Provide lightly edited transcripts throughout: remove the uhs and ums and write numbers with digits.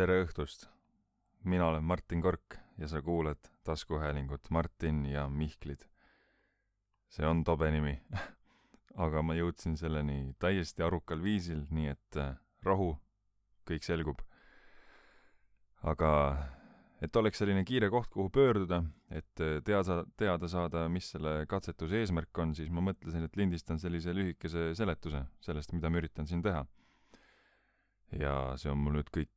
Tere õhtust! Mina olen Martin Kork ja sa kuuled taskuhäälingut Martin ja Mihklid. See on tobe nimi, aga ma jõudsin selleni täiesti arukal viisil, nii et rahu, kõik selgub. Aga et oleks selline kiire koht, kuhu pöörduda, et teada saada, mis selle katsetuse eesmärk on, siis ma mõtlesin, et lindistan sellise lühikese seletuse sellest, mida ma üritan siin teha. Ja see on mul nüüd kõik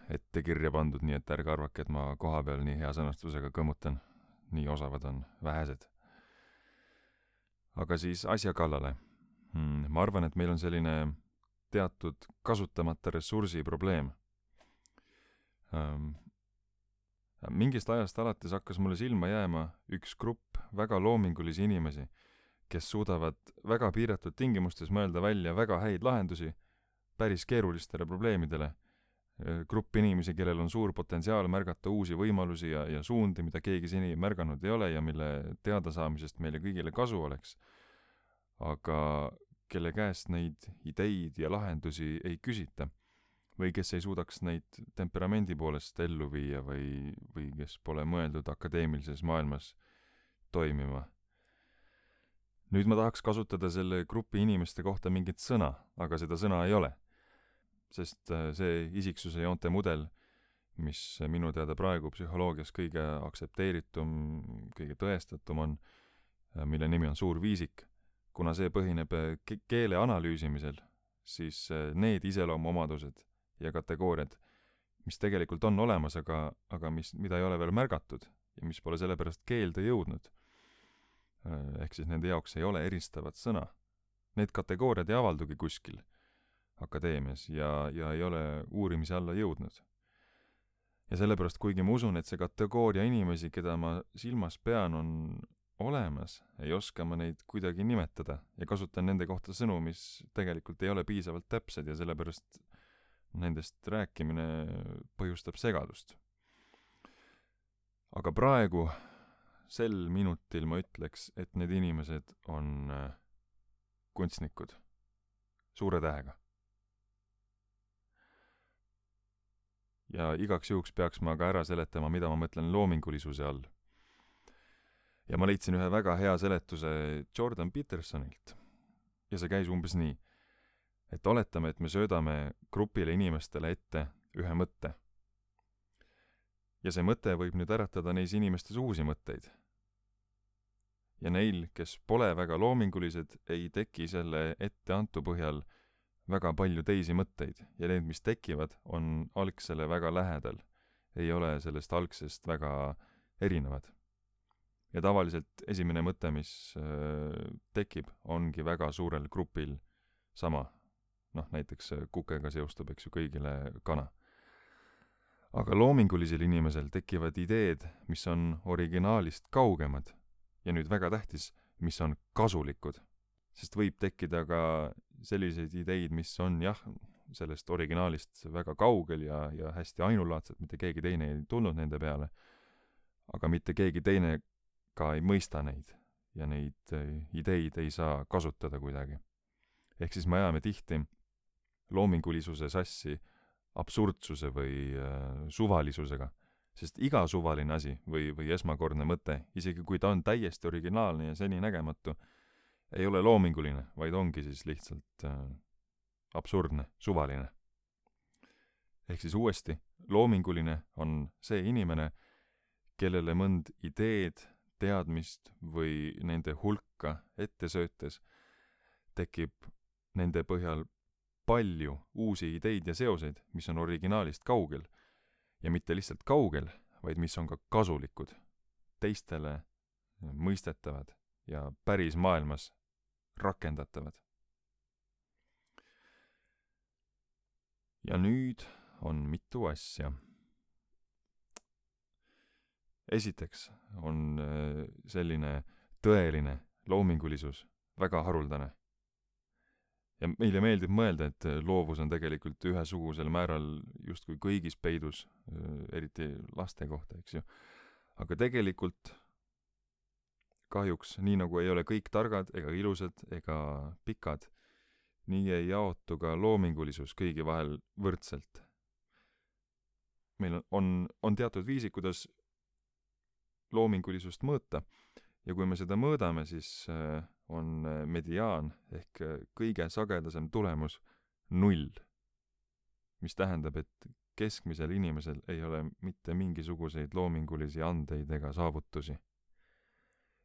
ette kirja pandud, nii et ärge arvake, et ma koha peal nii hea sõnastusega kõmmutan. Nii osavad on vähesed. Aga siis asja kallale. Ma arvan, et meil on selline teatud kasutamata ressursi probleem. Mingist ajast alates hakkas mulle silma jääma üks grupp väga loomingulisi inimesi, kes suudavad väga piiratud tingimustes mõelda välja väga häid lahendusi päris keerulistele probleemidele. Grupp inimesi, kellel on suur potentsiaal märgata uusi võimalusi ja suundi, mida keegi seni märganud ei ole ja mille teadasaamisest meile kõigile kasu oleks. Aga kelle käest neid ideid ja lahendusi ei küsita või kes ei suudaks neid temperamendi poolest ellu viia või kes pole mõeldud akadeemilises maailmas toimima. Nüüd ma tahaks kasutada selle grupi inimeste kohta mingit sõna, aga seda sõna ei ole. Sest see isiksuse joonte mudel, mis minu teada praegu psühholoogias kõige aktsepteeritum, kõige tõestatum on, mille nimi on suur viisik, kuna see põhineb keele analüüsimisel, siis need iseloomuomadused ja kategooriad, mis tegelikult on olemas, aga mida ei ole veel märgatud ja mis pole sellepärast keelde jõudnud, ehk siis nende jaoks ei ole eristavat sõna. Need kategooriad ei avaldugi kuskil akadeemias ja ei ole uurimise alla jõudnud. Ja sellepärast, kuigi ma usun, et see kategooria inimesi, keda ma silmas pean, on olemas, ei oska ma neid kuidagi nimetada ja kasutan nende kohta sõnu, mis tegelikult ei ole piisavalt täpsed ja sellepärast nendest rääkimine põhjustab segadust. Aga praegu, sel minutil ma ütleks, et need inimesed on kunstnikud, suure tähega. Ja igaks juhuks peaks ma ka ära seletama, mida ma mõtlen loomingulisuse all. Ja ma leidsin ühe väga hea seletuse Jordan Petersonilt. Ja see käis umbes nii, et oletame, et me söödame grupile inimestele ette ühe mõtte. Ja see mõte võib nüüd äratada neis inimestes uusi mõtteid. Ja neil, kes pole väga loomingulised, ei teki selle etteantu põhjal väga palju teisi mõtteid ja need, mis tekivad, on algsele väga lähedal. Ei ole sellest algsest väga erinevad. Ja tavaliselt esimene mõte, mis tekib, ongi väga suurel grupil sama. Näiteks kukega seostub, eks ju, kõigile kana. Aga loomingulisel inimesel tekivad ideed, mis on originaalist kaugemad ja nüüd väga tähtis, mis on kasulikud. Sest võib tekkida ka selliseid ideid, mis on sellest originaalist väga kaugel ja hästi ainulaadsed, mitte keegi teine ei tulnud nende peale, aga mitte keegi teine ka ei mõista neid ja neid ideid ei saa kasutada kuidagi. Ehk siis me ajame tihti loomingulisuse sassi absurdsuse või suvalisusega, sest iga suvaline asi või esmakordne mõte, isegi kui ta on täiesti originaalne ja seni nägematu, ei ole loominguline, vaid ongi siis lihtsalt absurdne, suvaline. Ehk siis uuesti, loominguline on see inimene, kellele mõnd ideed, teadmist või nende hulka ette söötes tekib nende põhjal palju uusi ideid ja seoseid, mis on originaalist kaugel ja mitte lihtsalt kaugel, vaid mis on ka kasulikud, teistele mõistetavad ja päris maailmas rakendatavad. Ja nüüd on mitu asja. Esiteks on selline tõeline loomingulisus väga haruldane. Ja meile meeldib mõelda, et loovus on tegelikult ühesugusel määral justkui kõigis peidus, eriti laste kohta, eks ju. Aga tegelikult kahjuks, nii nagu ei ole kõik targad ega ilusad ega pikad, nii ei jaotu ka loomingulisus kõigi vahel võrdselt. meil on teatud viisi, kuidas loomingulisust mõõta ja kui me seda mõõdame, siis on mediaan ehk kõige sagedasem tulemus 0, mis tähendab, et keskmisel inimesel ei ole mitte mingisuguseid loomingulisi andeid ega saavutusi.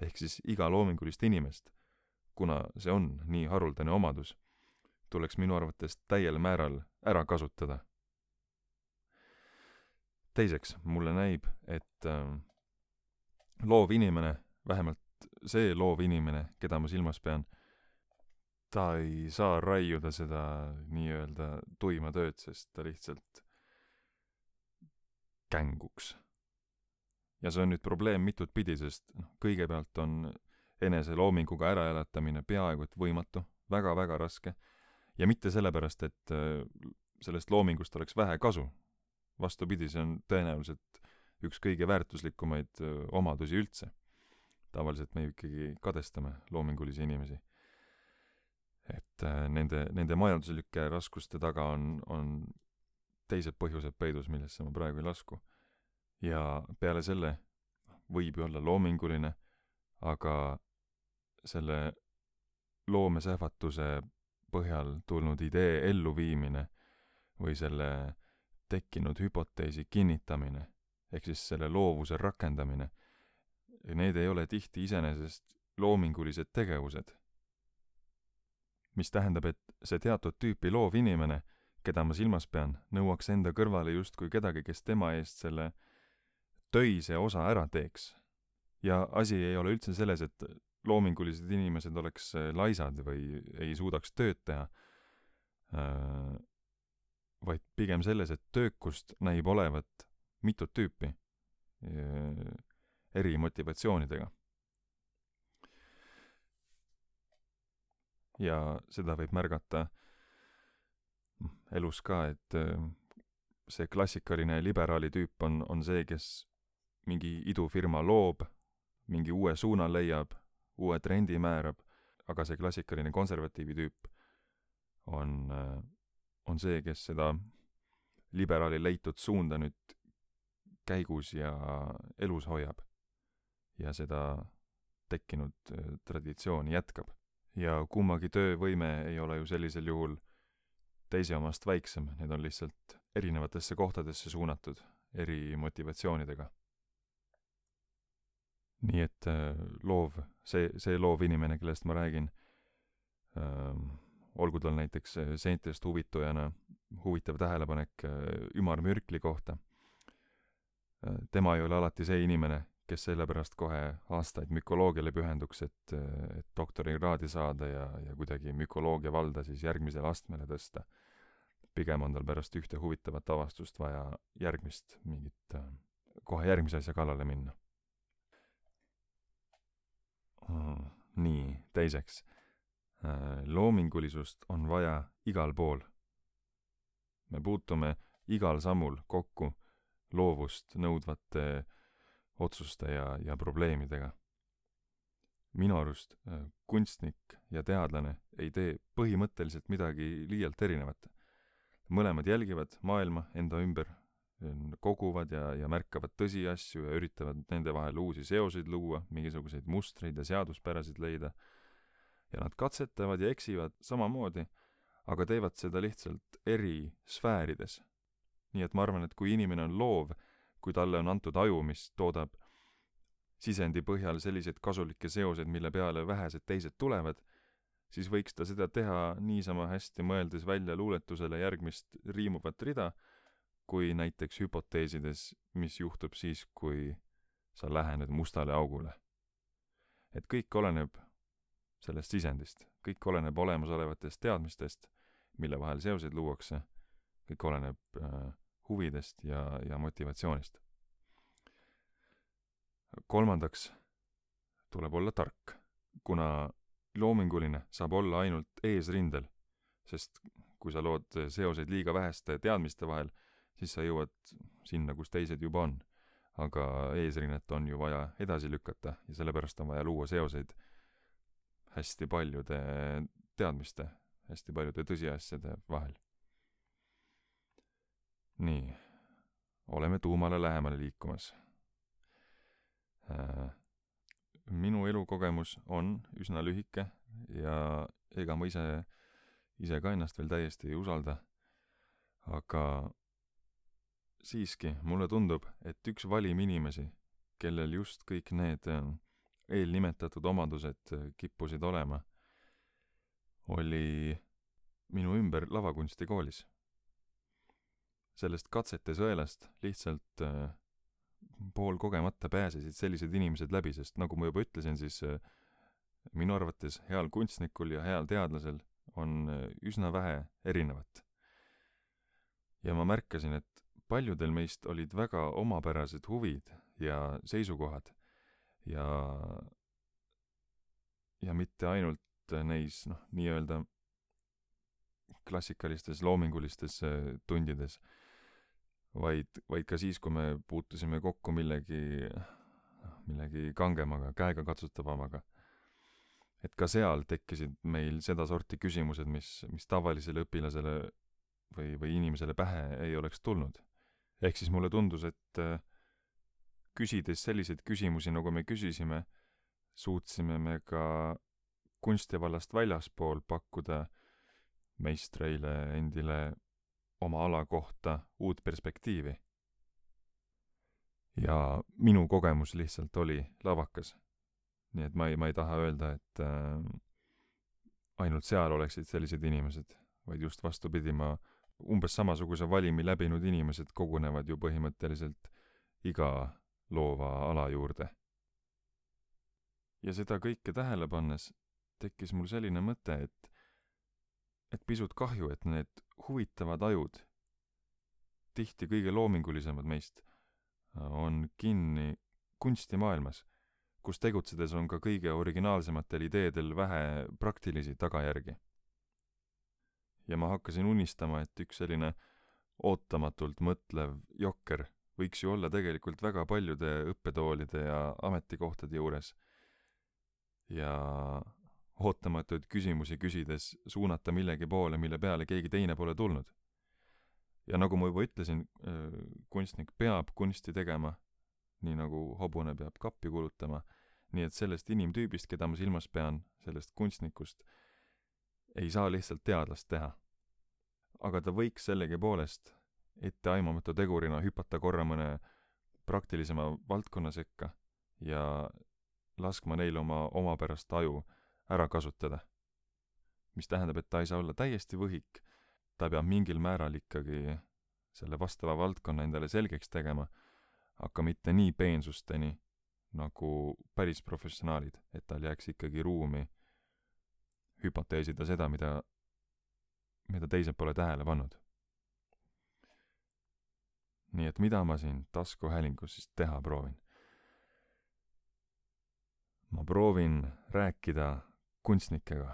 Ehk siis iga loomingulist inimest, kuna see on nii haruldane omadus, tuleks minu arvates täiel määral ära kasutada. Teiseks, mulle näib, et loov inimene, vähemalt see loov inimene, keda ma silmas pean, ta ei saa raiuda seda nii-öelda tuima tööd, sest ta lihtsalt känguks. Ja see on nüüd probleem mitut pidi, sest kõigepealt on enese loominguga äraelatamine peaaegu et võimatu, väga-väga raske, ja mitte sellepärast, et sellest loomingust oleks vähe kasu. Vastupidi, see on tõenäoliselt üks kõige väärtuslikumaid omadusi üldse. Tavaliselt me ikkagi kadestame loomingulisi inimesi. Et nende majanduslike raskuste taga on teised põhjused peidus, millesse ma praegu ei lasku. Ja peale selle võib ju olla loominguline, aga selle loomesähvatuse põhjal tulnud idee elluviimine või selle tekkinud hüpoteesi kinnitamine, ehk siis selle loovuse rakendamine, need ei ole tihti iseenesest loomingulised tegevused. Mis tähendab, et see teatud tüüpi loov inimene, keda ma silmas pean, nõuaks enda kõrvale justkui kedagi, kes tema eest selle töise osa ära teeks. Ja asi ei ole üldse selles, et loomingulised inimesed oleks laisad või ei suudaks tööd teha, vaid pigem selles, et töökust näib olevat mitut tüüpi eri motivatsioonidega. Ja seda võib märgata elus ka, et see klassikaline liberaali tüüp on see, kes mingi idufirma loob, mingi uue suuna leiab, uue trendi määrab, aga see klassikaline konservatiivi tüüp on see, kes seda liberaali leitud suunda nüüd käigus ja elus hoiab ja seda tekkinud traditsiooni jätkab. Ja kummagi töövõime ei ole ju sellisel juhul teise omast väiksem, need on lihtsalt erinevatesse kohtadesse suunatud eri motivatsioonidega. Nii et see loov inimene, kellest ma räägin, olgu tal näiteks seentest huvitujana huvitav tähelepanek ümarmürkli kohta. Tema ei ole alati see inimene, kes sellepärast kohe aastaid mükoloogiale pühenduks, et doktorikraadi saada ja kuidagi mükoloogia valda siis järgmisele astmele tõsta. Pigem on tal pärast ühte huvitavat avastust vaja kohe järgmise asja kallale minna. Nii, teiseks. Loomingulisust on vaja igal pool. Me puutume igal sammul kokku loovust nõudvate otsuste ja probleemidega. Minu arust kunstnik ja teadlane ei tee põhimõtteliselt midagi liialt erinevat. Mõlemad jälgivad maailma enda ümber, koguvad ja märkavad tõsiasju ja üritavad nende vahel uusi seoseid luua, mingisuguseid mustreid ja seaduspärasid leida. Ja nad katsetavad ja eksivad samamoodi, aga teevad seda lihtsalt eri sfäärides. Nii et ma arvan, et kui inimene on loov, kui talle on antud aju, mis toodab sisendi põhjal sellised kasulikke seosed, mille peale vähesed teised tulevad, siis võiks ta seda teha niisama hästi mõeldes välja luuletusele järgmist riimuvat rida, kui näiteks hüpoteesides, mis juhtub siis, kui sa lähened mustale augule. Et kõik oleneb sellest sisendist, kõik oleneb olemasolevatest teadmistest, mille vahel seoseid luuakse, kõik oleneb huvidest ja motivatsioonist. Kolmandaks tuleb olla tark, kuna loominguline saab olla ainult eesrindel, sest kui sa lood seoseid liiga väheste teadmiste vahel, siis sa jõuad sinna, kus teised juba on. Aga eesrinnet on ju vaja edasi lükata ja sellepärast on vaja luua seoseid hästi paljude teadmiste, hästi paljude tõsiasjade vahel. Nii, oleme tuumale lähemale liikumas. Minu elukogemus on üsna lühike ja ega ma ise ka ennast veel täiesti ei usalda, aga siiski mulle tundub, et üks valim inimesi, kellel just kõik need eelnimetatud omadused kippusid olema, oli minu ümber lavakunstikoolis. Sellest katsete sõelast lihtsalt poolkogemata pääsesid sellised inimesed läbi, sest nagu ma juba ütlesin, siis minu arvates heal kunstnikul ja heal teadlasel on üsna vähe erinevat. Ja ma märkasin, et paljudel meist olid väga omapärased huvid ja seisukohad ja mitte ainult neis, nii-öelda klassikalistes loomingulistes tundides, vaid ka siis, kui me puutusime kokku millegi kangemaga, käega katsutavamaga. Et ka seal tekkisid meil sedasorti küsimused, mis tavalisele õpilasele või inimesele pähe ei oleks tulnud. Ehk siis mulle tundus, et küsides selliseid küsimusi, nagu me küsisime, suutsime me ka kunstivallast väljaspool pakkuda meistreile endile oma ala kohta uut perspektiivi. Ja minu kogemus lihtsalt oli lavakas. Nii et ma ei taha öelda, et ainult seal oleksid sellised inimesed, vaid just vastupidi, umbes samasuguse valimi läbinud inimesed kogunevad ju põhimõtteliselt iga loova ala juurde. Ja seda kõike tähele pannes tekkis mul selline mõte, et pisut kahju, et need huvitavad ajud, tihti kõige loomingulisemad meist, on kinni kunstimaailmas, kus tegutsedes on ka kõige originaalsematel ideedel vähe praktilisi tagajärgi. Ja ma hakkasin unistama, et üks selline ootamatult mõtlev jokker võiks ju olla tegelikult väga paljude õppetoolide ja ametikohtade juures. Ja ootamatuid küsimusi küsides suunata millegi poole, mille peale keegi teine pole tulnud. Ja nagu ma juba ütlesin, kunstnik peab kunsti tegema, nii nagu hobune peab kappi kulutama, nii et sellest inimtüübist, keda ma silmas pean, sellest kunstnikust, ei saa lihtsalt teadlast teha. Aga ta võiks sellegi poolest etteaimamatu tegurina hüpata korra mõne praktilisema valdkonna sekka ja laskma neil oma omapärast aju ära kasutada. Mis tähendab, et ta ei saa olla täiesti võhik, ta peab mingil määral ikkagi selle vastava valdkonna endale selgeks tegema, aga mitte nii peensusteni nagu päris professionaalid, et tal jääks ikkagi ruumi hüpoteesida seda, mida teised pole tähele pannud. Nii et mida ma siin taskuhäälingus siis teha proovin? Ma proovin rääkida kunstnikega.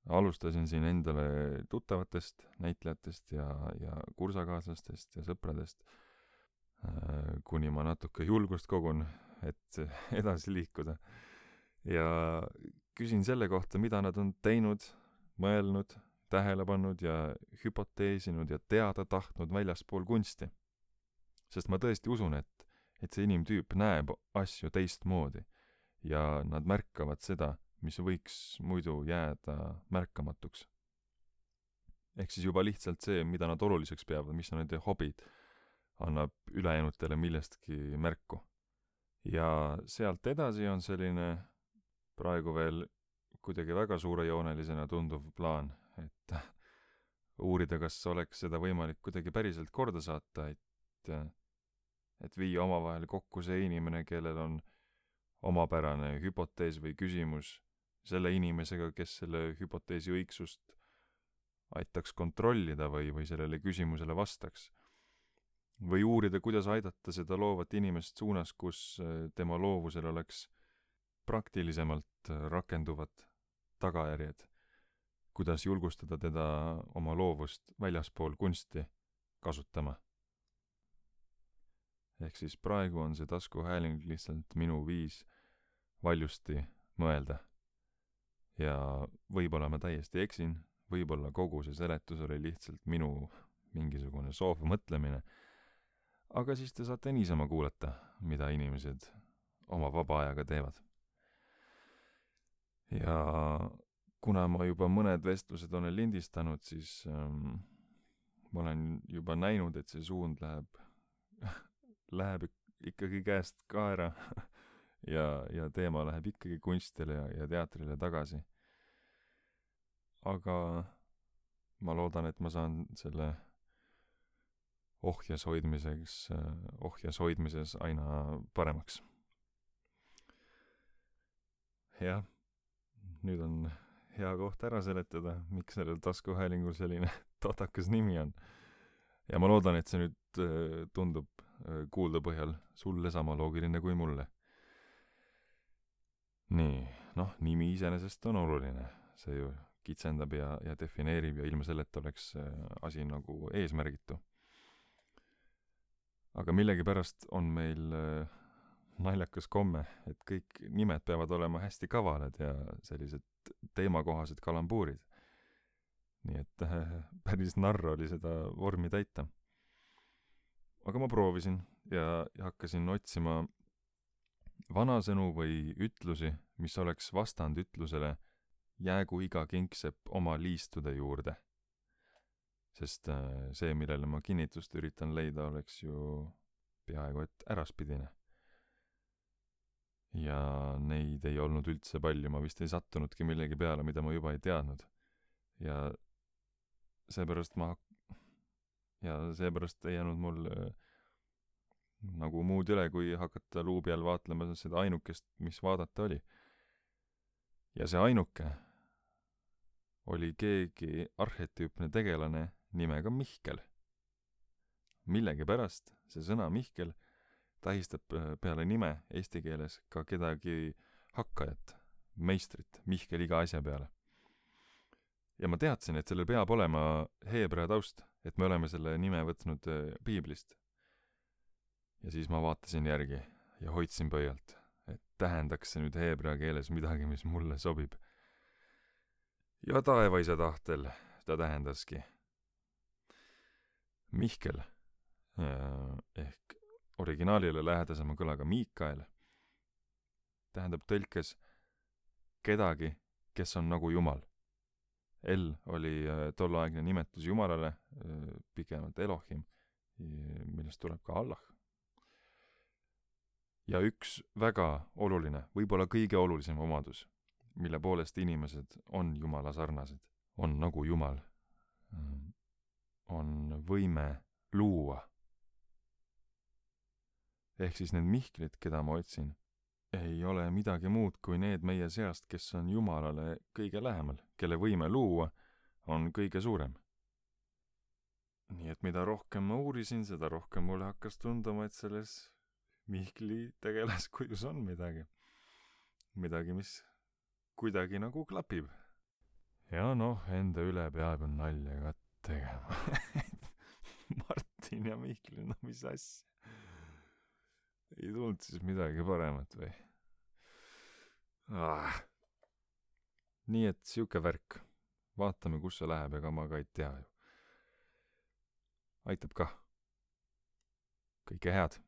Alustasin siin endale tuttavatest näitlejatest ja kursakaaslastest ja sõpradest, kuni ma natuke julgust kogun, et edasi liikuda. Ja küsin selle kohta, mida nad on teinud, mõelnud, tähele pannud ja hüpoteesinud ja teada tahtnud väljaspool kunsti. Sest ma tõesti usun, et see inimtüüp näeb asju teistmoodi ja nad märkavad seda, mis võiks muidu jääda märkamatuks. Ehk siis juba lihtsalt see, mida nad oluliseks peavad, mis on nende hobid, annab ülejäänutele millestki märku. Ja sealt edasi on selline praegu veel kuidagi väga suurejoonelisena tunduv plaan, et uurida, kas oleks seda võimalik kuidagi päriselt korda saata, et viia omavahel kokku see inimene, kellel on omapärane hüpotees või küsimus selle inimesega, kes selle hüpoteesi õigsust aitaks kontrollida või sellele küsimusele vastaks. Või uurida, kuidas aidata seda loovat inimest suunas, kus tema loovusel oleks praktilisemalt rakenduvad tagajärjed, kuidas julgustada teda oma loovust väljaspool kunsti kasutama. Ehk siis praegu on see taskuhääling lihtsalt minu viis valjusti mõelda. Ja võib-olla ma täiesti eksin, võib-olla kogu see seletus oli lihtsalt minu mingisugune soov mõtlemine, aga siis te saate niisama kuulata, mida inimesed oma vaba ajaga teevad. Ja kuna ma juba mõned vestlused olen lindistanud, siis ma olen juba näinud, et see suund läheb ikkagi käest kaera ja teema läheb ikkagi kunstile ja teatrile tagasi. Aga ma loodan, et ma saan selle ohjes hoidmises aina paremaks. Jah, nüüd on hea koht ära seletada, miks sellel taskuhäälingul selline totakas nimi on. Ja ma loodan, et see nüüd tundub kuulda põhjal sulle sama loogiline kui mulle. Nii, nimi iseenesest on oluline. See ju kitsendab ja defineerib ja ilma selleta oleks asi nagu eesmärgitu. Aga millegipärast on meil naljakas komme, et kõik nimed peavad olema hästi kavalad ja sellised teemakohased kalambuurid. Nii et päris narr oli seda vormi täita. Aga ma proovisin ja hakkasin otsima vanasõnu või ütlusi, mis oleks vastand ütlusele jäägu iga kingsepp oma liistude juurde. Sest see, millele ma kinnitust üritan leida, oleks ju peaaegu et äraspidine. Ja neid ei olnud üldse palju, ma vist ei sattunudki millegi peale, mida ma juba ei teadnud. Ja seepärast ei jäänud mul nagu muud üle, kui hakata luubi all vaatlema seda ainukest, mis vaadata oli. Ja see ainuke oli keegi arhetüüpne tegelane nimega Mihkel. Millegipärast see sõna Mihkel tähistab peale nime eesti keeles ka kedagi hakkajat, meistrit, Mihkel iga asja peale. Ja ma teadsin, et sellel peab olema heebrea taust, et me oleme selle nime võtnud piiblist. Ja siis ma vaatasin järgi ja hoidsin pöialt, et tähendaks see nüüd heebrea keeles midagi, mis mulle sobib. Ja taevaisa tahtel ta tähendaski Mihkel ehk originaalile lähedasema kõlaga Miikael tähendab tõlkes kedagi, kes on nagu Jumal. El oli tolleaegne nimetus Jumalale, pikemalt Elohim, millest tuleb ka Allah. Ja üks väga oluline, võib-olla kõige olulisem omadus, mille poolest inimesed on Jumala sarnased, on nagu Jumal, on võime luua. Ehk siis need Mihklid, keda ma otsin, ei ole midagi muud kui need meie seast, kes on Jumalale kõige lähemal, kelle võime luua on kõige suurem. Nii et mida rohkem ma uurisin, seda rohkem mulle hakkas tunduma, et selles Mihkli tegelaskujus on midagi. Midagi, mis kuidagi nagu klapib. Ja enda üle peab nalja ka tegema. Martin ja Mihkli, mis asja? Ei tulnud siis midagi paremat või? Nii et siuke värk. Vaatame, kus see läheb, ega ma ka ei tea ju. Aitab kah. Kõike head.